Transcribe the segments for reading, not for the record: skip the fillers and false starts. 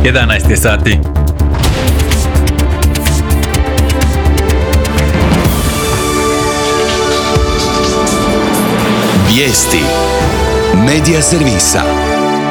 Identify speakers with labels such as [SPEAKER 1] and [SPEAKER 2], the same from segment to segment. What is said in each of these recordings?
[SPEAKER 1] 11 je sati.
[SPEAKER 2] Vijesti Medija servisa.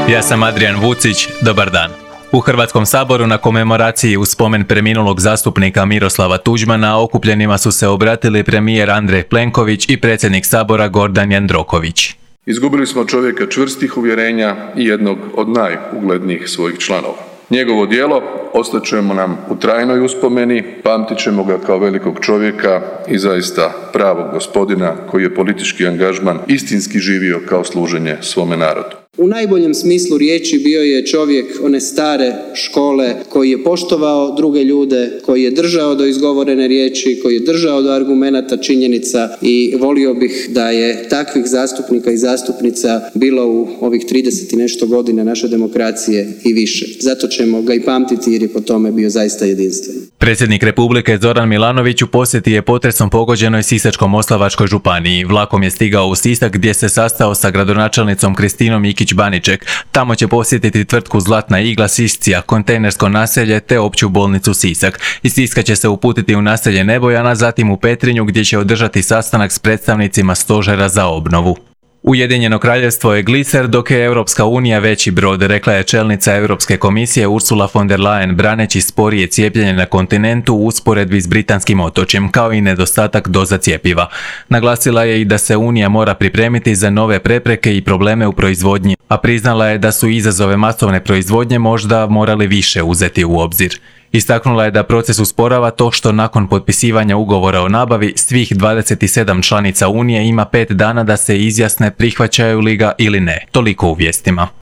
[SPEAKER 1] Ja sam Adrian Vucić, dobar dan. U Hrvatskom saboru na komemoraciji u spomen preminulog zastupnika Miroslava Tuđmana okupljenima su se obratili premijer Andrej Plenković i predsjednik sabora Gordan Jandroković.
[SPEAKER 3] Izgubili smo čovjeka čvrstih uvjerenja i jednog od najuglednijih svojih članova. Njegovo djelo ostat će nam u trajnoj uspomeni, pamtit ćemo ga kao velikog čovjeka i zaista pravog gospodina koji je politički angažman istinski živio kao služenje svome narodu.
[SPEAKER 4] U najboljem smislu riječi bio je čovjek one stare škole koji je poštovao druge ljude, koji je držao do izgovorene riječi, koji je držao do argumenata, činjenica i volio bih da je takvih zastupnika i zastupnica bilo u ovih 30 i nešto godina naše demokracije i više. Zato ćemo ga i pamtiti jer je po tome bio zaista jedinstven.
[SPEAKER 1] Predsjednik Republike Zoran Milanović u posjeti je potresom pogođenoj Sisačko-moslavačkoj županiji. Vlakom je stigao u Sisak gdje se sastao sa gradonačelnicom Kristinom Ikić-Baniček. Tamo će posjetiti tvrtku Zlatna igla Siscija, kontejnersko naselje te opću bolnicu Sisak. Iz Siska će se uputiti u naselje Nebojana, zatim u Petrinju gdje će održati sastanak s predstavnicima stožera za obnovu. Ujedinjeno kraljevstvo je gliser dok je Europska unija veći brod, rekla je čelnica Europske komisije Ursula von der Leyen braneći sporije cijepljenje na kontinentu u usporedbi s britanskim otočjem, kao i nedostatak doza cjepiva. Naglasila je i da se Unija mora pripremiti za nove prepreke i probleme u proizvodnji, a priznala je da su izazove masovne proizvodnje možda morali više uzeti u obzir. Istaknula je da proces usporava to što nakon potpisivanja ugovora o nabavi svih 27 članica Unije ima 5 dana da se izjasne prihvaćaju li ga ili ne. Toliko u vijestima.